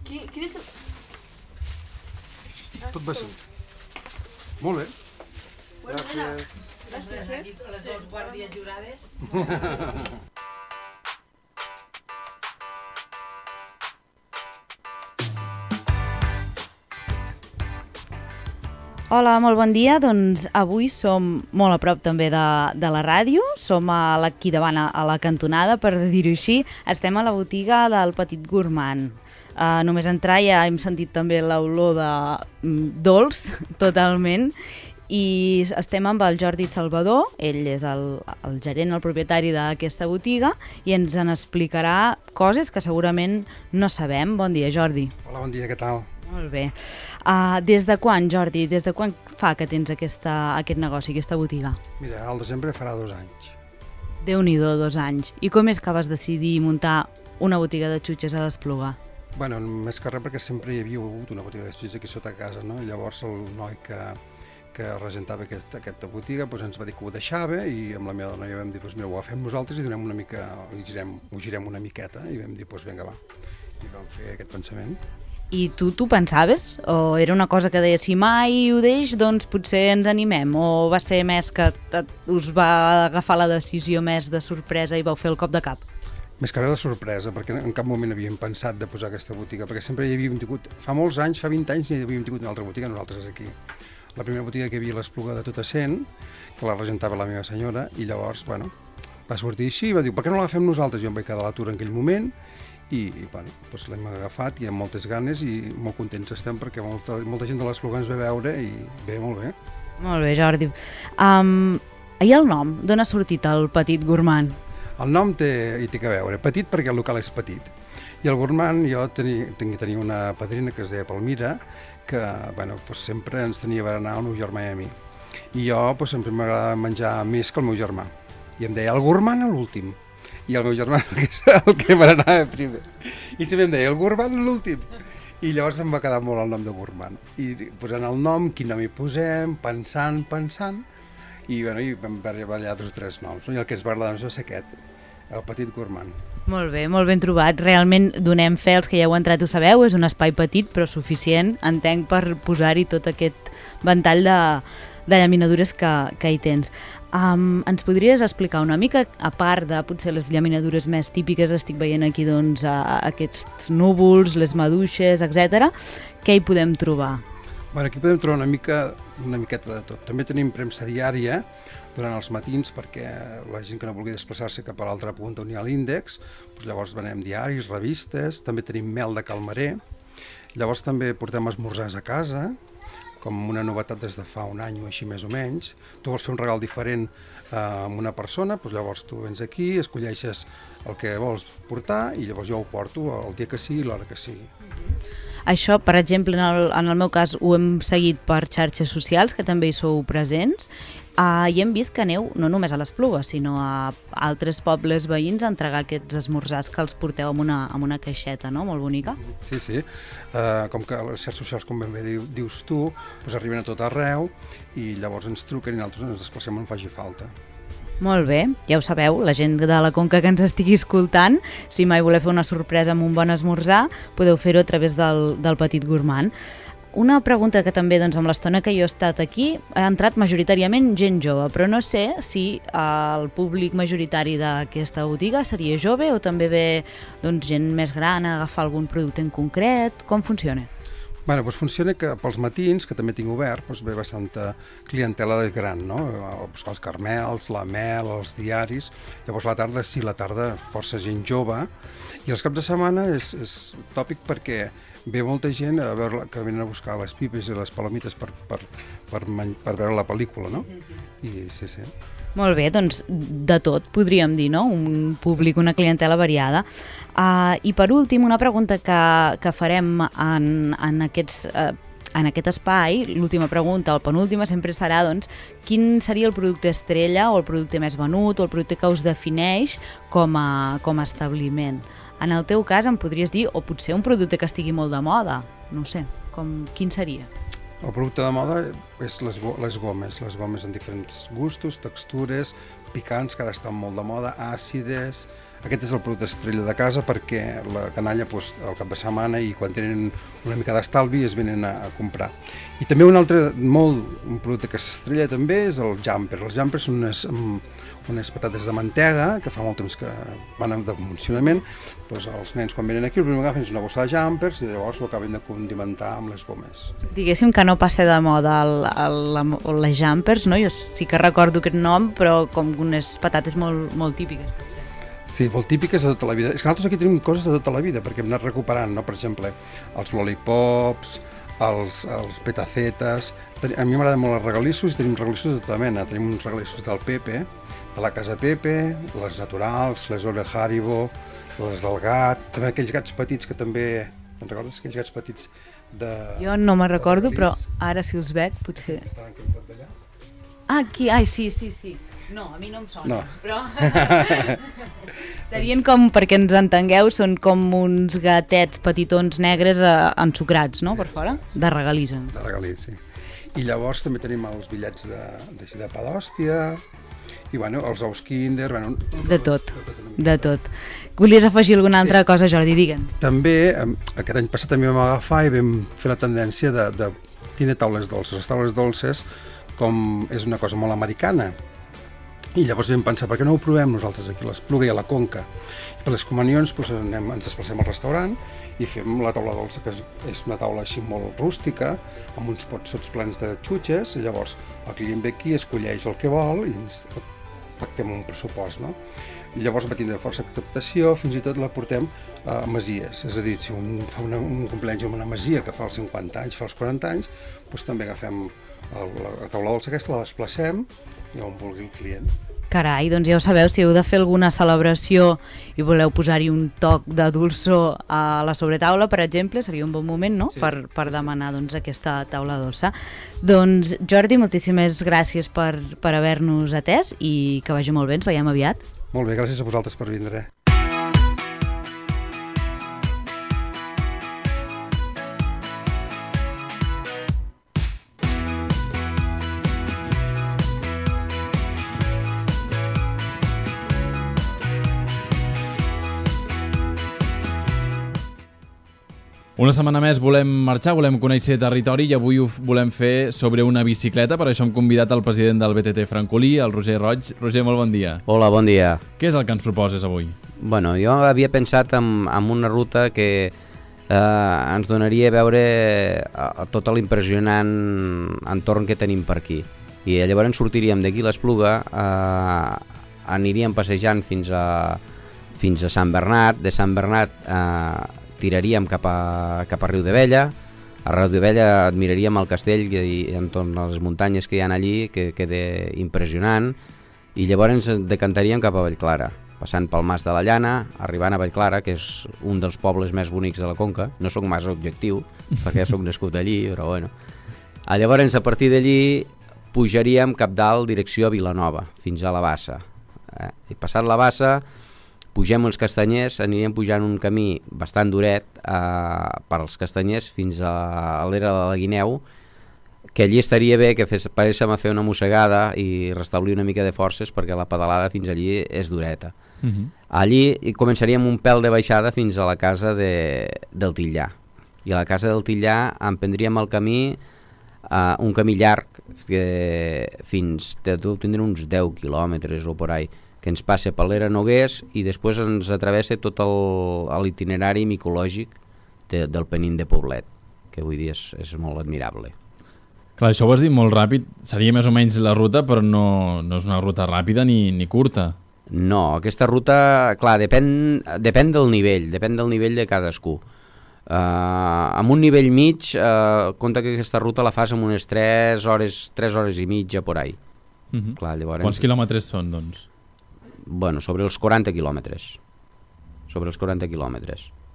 Quin és el... Tot va ser. Molt bé. Gràcies. Les dues guàrdies jurades. Hola, molt bon dia. Doncs avui som molt a prop també de la ràdio. Som aquí davant a la cantonada, per dir-ho així. Estem a la botiga del Petit Gourmand. Només entrar ja hem sentit també l'olor de dolç, totalment, i estem amb el Jordi Salvador. Ell és el gerent, el propietari d'aquesta botiga, i ens en explicarà coses que segurament no sabem. Bon dia, Jordi. Hola, bon dia, què tal? Molt bé. Des de quan, Jordi, des de quan fa que tens aquest negoci, aquesta botiga? Mira, al desembre farà 2 anys. Déu-n'hi-do, 2 anys. I com és que vas decidir muntar una botiga de xutxes a l'Espluga? Bueno, més que res perquè sempre hi havia hagut una botiga de xutxes aquí sota casa, no? I llavors el noi que regentava aquesta botiga ens va dir que ho deixava, i amb la meva dona ja vam dir, mira, ho agafem nosaltres i donem una mica, ho girem una miqueta, i vam dir, vinga, va. I vam fer aquest pensament. I tu pensaves? O era una cosa que deies, si mai ho deix, doncs potser ens animem? O va ser més que us va agafar la decisió més de sorpresa i vau fer el cop de cap? Més que res de sorpresa, perquè en cap moment havíem pensat de posar aquesta botiga, perquè sempre hi havíem tingut, fa molts anys, fa 20 anys, hi havíem tingut una altra botiga, nosaltres aquí. La primera botiga que hi havia a l'Espluga de Tota Cent, que la regentava la meva senyora, i llavors, bueno, va sortir així, i va dir, per què no l'agafem nosaltres? Jo em vaig quedar a l'atur en aquell moment, i bueno, doncs l'hem agafat i amb moltes ganes i molt contents estem perquè molta gent de l'Espluga ens ve a veure i bé, molt bé. Molt bé, Jordi. I el nom? D'on ha sortit el Petit Gourmand? El nom hi té que veure. Petit perquè el local és petit. I el Gourmand, jo tenia una padrina que es deia Palmira, que bueno, doncs sempre ens tenia a berenar el meu germà i a mi. I jo doncs, sempre m'agradava menjar més que el meu germà. I em deia el Gourmand a l'últim. I el meu germà és el que berenava primer. I sempre em deia el Gourmand a l'últim. I llavors em va quedar molt el nom de Gourmand. I posant el nom, quin nom hi posem, pensant, i bueno, vam barallar 2 o 3 noms, no? I el que ens va agradar va ser aquest, el Petit Gourmand. Molt bé, molt ben trobat. Realment donem fe als que ja heu entrat, ho sabeu, és un espai petit però suficient, entenc, per posar-hi tot aquest ventall de llaminadures que hi tens. Ens podries explicar una mica, a part de potser les llaminadures més típiques, estic veient aquí doncs aquests núvols, les maduixes, etc. Què hi podem trobar? Bueno, aquí podem trobar una miqueta de tot. També tenim premsa diària durant els matins perquè la gent que no vulgui desplaçar-se cap a l'altra punta on hi ha l'índex, doncs llavors venem diaris, revistes, també tenim mel de calmarer, llavors també portem esmorzars a casa, com una novetat des de fa un any o així més o menys. Tu vols fer un regal diferent amb una persona, doncs llavors tu vens aquí, escolleixes el que vols portar i llavors jo ho porto el dia que sigui i l'hora que sigui. Això, per exemple, en el meu cas ho hem seguit per xarxes socials, que també hi sou presents, i hem vist que aneu no només a l'Espluga, sinó a altres pobles veïns a entregar aquests esmorzars que els porteu amb una caixeta, no? Molt bonica. Sí, sí. Com que les xarxes socials, com ben bé dius tu, doncs arriben a tot arreu i llavors ens truquen i nosaltres ens desplacem on faci falta. Molt bé, ja ho sabeu, la gent de la Conca que ens estigui escoltant, si mai voleu fer una sorpresa amb un bon esmorzar, podeu fer-ho a través del Petit Gourmand. Una pregunta que també, doncs, amb l'estona que jo he estat aquí, ha entrat majoritàriament gent jove, però no sé si el públic majoritari d'aquesta botiga seria jove o també ve doncs, gent més gran a agafar algun producte en concret. Com funciona? Bueno, doncs funciona que pels matins, que també tinc obert, doncs ve bastanta clientela de gran, no? Els carmels, la mel, els diaris. Llavors la tarda, sí, la tarda força gent jove. I els caps de setmana és tòpic perquè ve molta gent a veure, que venen a buscar les pipes i les palomites per veure la pel·lícula, no? I sí, sí. Molt bé, doncs de tot, podríem dir, no? Un públic, una clientela variada. I per últim, una pregunta que farem en aquest espai, l'última pregunta, o la penúltima, sempre serà, doncs, quin seria el producte estrella o el producte més venut o el producte que us defineix com a establiment. En el teu cas em podries dir, o potser un producte que estigui molt de moda, no sé, quin seria? El producte de moda és les gomes en diferents gustos, textures, picants, que ara estan molt de moda, àcides. Aquest és el producte estrella de casa perquè la canalla al cap de setmana i quan tenen una mica d'estalvi es venen a comprar. I també un producte que s'estrella també és el jumper. Els jumpers són unes patates de mantega que fa molt temps que van de funcionament. Doncs els nens quan venen aquí el primer que agafen és una bossa de jumpers i llavors ho acaben de condimentar amb les gomes. Diguéssim que no passa de moda les jumpers, no? Jo sí que recordo aquest nom, però com unes patates molt típiques. Sí, molt típiques de tota la vida. És que nosaltres aquí tenim coses de tota la vida, perquè hem anat recuperant, no? Per exemple, els lollipops, els petacetes. A mi m'agraden molt els regalissos i tenim regalissos de tota mena. Tenim uns regalissos del Pepe, de la casa Pepe, les naturals, les Ore Haribo, les del gat, també aquells gats petits que també... Te'n recordes? Aquells gats petits de... Jo no me'n recordo, però ara si els veig potser... Estaven aquí al d'allà? Aquí, sí. No, a mi no em sona, no. Però... Serien com, perquè ens entengueu, són com uns gatets petitons negres ensucrats, no?, per fora? De regalís. De regalís, sí. I llavors també tenim els bitllets de pa d'hòstia, i bueno, els ous Kinder... Bueno, de tot. Volies afegir alguna altra cosa, Jordi? Digue'ns. També, aquest any passat també vam agafar i vam fer la tendència de tindre taules dolces. Les taules dolces, com és una cosa molt americana, i llavors vam pensar, per què no ho provem nosaltres aquí a l'Espluga i a la Conca? I per les comunions ens desplacem al restaurant i fem la taula dolça, que és una taula així molt rústica, amb uns potsots plens de xutxes, i llavors el client ve aquí, escolleix el que vol i ens pactem un pressupost, no? I llavors va tindre força acceptació, fins i tot la portem a masies, és a dir, si un fa un cumpleaños en una masia que fa els 50 anys, fa els 40 anys, doncs també agafem la taula dolça aquesta, la desplacem i on vulgui el client. Carai, doncs ja ho sabeu, si heu de fer alguna celebració i voleu posar-hi un toc de dolçor a la sobretaula, per exemple, seria un bon moment, no?, sí, per demanar doncs, aquesta taula dolça. Doncs Jordi, moltíssimes gràcies per haver-nos atès i que vagi molt bé, ens veiem aviat. Molt bé, gràcies a vosaltres per vindre. Una setmana més volem marxar, volem conèixer territori i avui ho volem fer sobre una bicicleta, per això hem convidat el president del BTT Francolí, el Roger Roig. Roger, molt bon dia. Hola, bon dia. Què és el que ens proposes avui? Bueno, jo havia pensat en una ruta que ens donaria a veure tot l'impressionant entorn que tenim per aquí. I llavors sortiríem d'aquí l'Espluga, aniríem passejant fins a Sant Bernat, de Sant Bernat tiraríem cap a Riudabella. A Riudabella admiraríem el castell i entorn a les muntanyes que hi ha allí, que queda impressionant, i llavors ens decantaríem cap a Vallclara, passant pel Mas de la Llana, arribant a Vallclara, que és un dels pobles més bonics de la Conca. No sóc massa objectiu, perquè soc nascut allí, però bueno. Llavors, a partir d'allí, pujaríem cap dalt, direcció a Vilanova, fins a la Bassa. I passat la Bassa, pugem uns castanyers, aniríem pujant un camí bastant duret per als castanyers fins a l'era de la Guineu, que allí estaria bé que paréssim a fer una mossegada i restablir una mica de forces, perquè la pedalada fins allí és dureta. Allí començaríem un pèl de baixada fins a la casa del Tillà. I a la casa del Tillà emprendríem el camí, un camí llarg, que tindrem uns 10 quilòmetres o por ahí, que ens passa per l'era Noguers i després ens atravessa tot l'itinerari micològic del Penín de Poblet, que avui dia és molt admirable. Clar, això ho has dit molt ràpid, seria més o menys la ruta, però no és una ruta ràpida ni curta. No, aquesta ruta, clar, depèn del nivell de cadascú. Amb un nivell mig, compta que aquesta ruta la fas amb unes 3 hores i mitja por ahí. Clar, llavors... Quants quilòmetres són, doncs? Bueno, sobre els 40 quilòmetres.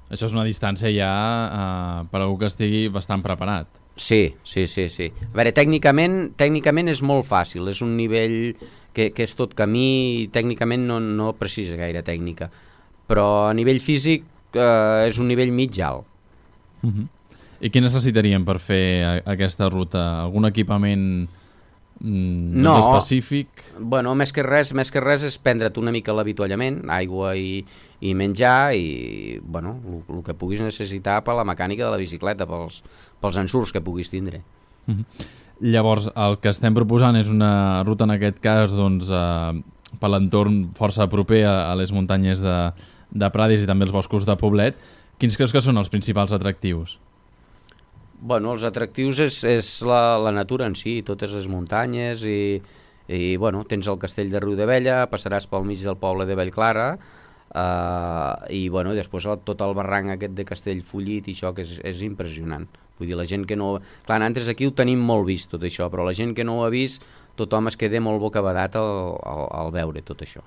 Això és una distància ja per a algú que estigui bastant preparat. Sí. A veure, tècnicament és molt fàcil, és un nivell que és tot camí i tècnicament no precisa gaire tècnica, però a nivell físic és un nivell mig alt. I què necessitaríem per fer aquesta ruta? Algun equipament específic? Bueno, més que res és prendre't una mica l'avituallament, aigua i menjar, i bueno, el que puguis necessitar per la mecànica de la bicicleta, pels ensurts que puguis tindre. Llavors, el que estem proposant és una ruta, en aquest cas, doncs, per l'entorn força proper a les muntanyes de Prades i també els boscos de Poblet. Quins creus que són els principals atractius? Bueno, els atractius és la natura en si, totes les muntanyes i bueno, tens el castell de Riudabella, passaràs pel mig del poble de Vallclara i bueno, després tot el barranc aquest de Castellfollit i això, que és impressionant. Vull dir, la gent que no... Clar, nosaltres aquí ho tenim molt vist tot això, però la gent que no ho ha vist, tothom es queda molt bocabadat al veure tot això.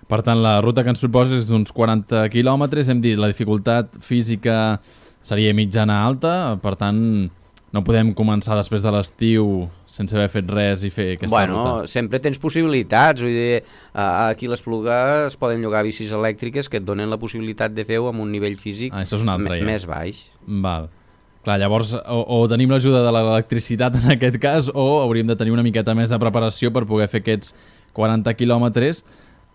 Per tant, la ruta que ens proposes és d'uns 40 quilòmetres, hem dit, la dificultat física seria mitjana alta, per tant, no podem començar després de l'estiu sense haver fet res i fer aquesta ruta. Bueno, sempre tens possibilitats, vull dir, aquí a l'Espluga es poden llogar bicis elèctriques que et donen la possibilitat de fer-ho amb un nivell físic més baix. Val. Clar, llavors, o tenim l'ajuda de l'electricitat en aquest cas, o hauríem de tenir una miqueta més de preparació per poder fer aquests 40 quilòmetres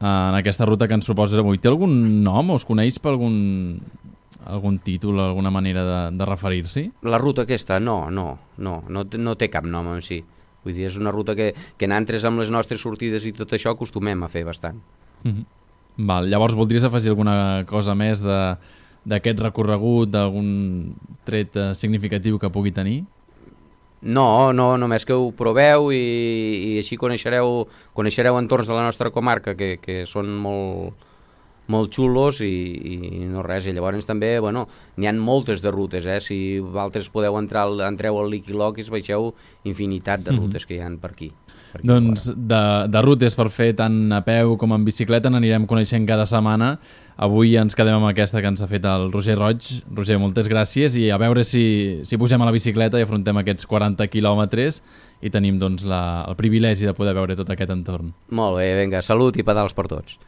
en aquesta ruta que ens proposes avui. Té algun nom o es coneix per algun títol, alguna manera de referir-s'hi? La ruta aquesta? No té cap nom en si. Vull dir, és una ruta que nosaltres amb les nostres sortides i tot això acostumem a fer bastant. Val, llavors voldries afegir alguna cosa més d'aquest recorregut, d'algun tret significatiu que pugui tenir? No, només que ho proveu i així coneixereu entorns de la nostra comarca que són molt xulos i no res. I llavors també, bueno, n'hi ha moltes de rutes, si vosaltres entreu al Liquiloquis, veieu infinitat de rutes que hi ha per aquí. Doncs de rutes per fer tant a peu com en bicicleta n'anirem coneixent cada setmana. Avui ens quedem amb aquesta que ens ha fet el Roger Roig. Roger, moltes gràcies i a veure si pugem a la bicicleta i afrontem aquests 40 quilòmetres i tenim doncs, el privilegi de poder veure tot aquest entorn. Molt bé, vinga, salut i pedals per tots.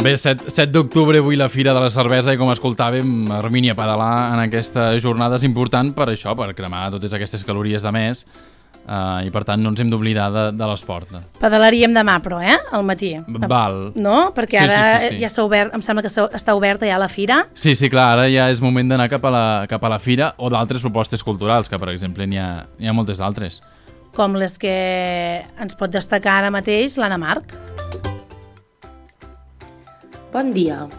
Bé, 7 d'octubre, avui la Fira de la Cervesa i com escoltàvem, Armínia, pedalar en aquesta jornada és important per això, per cremar totes aquestes calories de més i per tant no ens hem d'oblidar de l'esport. Pedalaríem demà però, al matí. Val. No? Perquè ara ja s'ha obert, em sembla que està oberta ja la Fira. Sí, clar, ara ja és moment d'anar cap a la Fira o d'altres propostes culturals, que per exemple n'hi ha moltes d'altres. Com les que ens pot destacar ara mateix l'Anna Marc. Bon dia.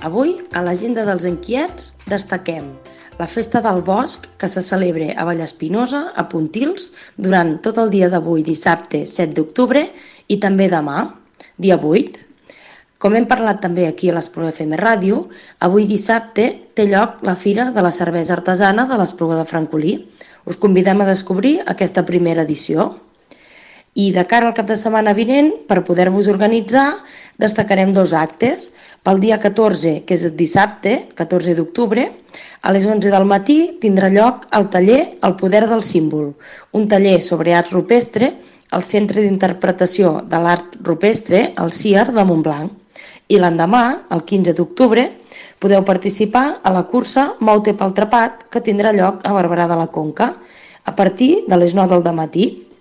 Avui, a l'agenda dels inquiets, destaquem la Festa del Bosc, que se celebra a Vallespinosa, a Pontils, durant tot el dia d'avui, dissabte 7 d'octubre, i també demà, dia 8. Com hem parlat també aquí a l'Espluga FM Ràdio, avui dissabte té lloc la Fira de la Cervesa Artesana de l'Espluga de Francolí. Us convidem a descobrir aquesta primera edició. I de cara al cap de setmana vinent, per poder-vos organitzar, destacarem 2 actes. Pel dia 14, que és dissabte, 14 d'octubre, a les 11 del matí tindrà lloc el taller El poder del símbol, un taller sobre art rupestre al Centre d'Interpretació de l'Art Rupestre, el CIAR de Montblanc. I l'endemà, el 15 d'octubre, podeu participar a la cursa Mou-te pel Trepat, que tindrà lloc a Barberà de la Conca, a partir de les 9 del matí.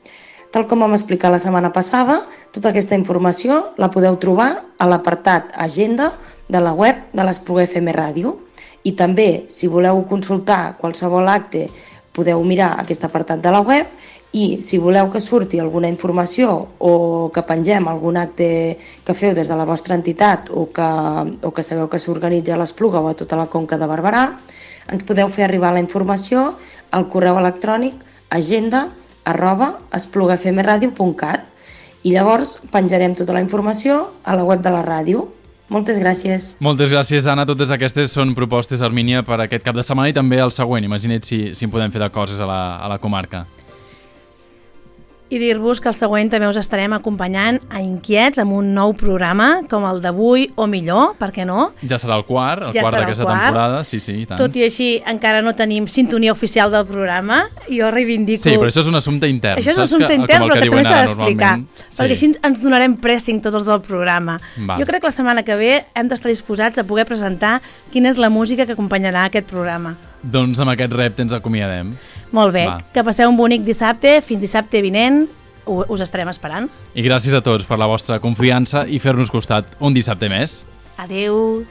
Tal com vam explicar la setmana passada, tota aquesta informació la podeu trobar a l'apartat Agenda de la web de l'Espluga FM Ràdio. I també, si voleu consultar qualsevol acte, podeu mirar aquest apartat de la web, i si voleu que surti alguna informació o que pengem algun acte que feu des de la vostra entitat o que sabeu que s'organitza a l'Espluga o a tota la Conca de Barberà, ens podeu fer arribar la informació al correu electrònic agenda@esplugafmradio.cat i llavors penjarem tota la informació a la web de la ràdio. Moltes gràcies. Moltes gràcies, Anna. Totes aquestes són propostes, Armínia, per aquest cap de setmana i també el següent. Imagina't si en podem fer de coses a la comarca. I dir-vos que el següent també us estarem acompanyant a Inquiets amb un nou programa com el d'avui o millor, per què no? Ja serà el quart d'aquesta temporada, sí, i tant. Tot i així encara no tenim sintonia oficial del programa, jo reivindico... Sí, però això és un assumpte intern. Això és un assumpte intern, però que també s'ha d'explicar, perquè així ens donarem pressing tots els del programa. Jo crec que la setmana que ve hem d'estar disposats a poder presentar quina és la música que acompanyarà aquest programa. Doncs amb aquest repte ens acomiadem. Molt bé, que passeu un bonic dissabte, fins dissabte vinent, us estarem esperant. I gràcies a tots per la vostra confiança i fer-nos costat un dissabte més. Adeu.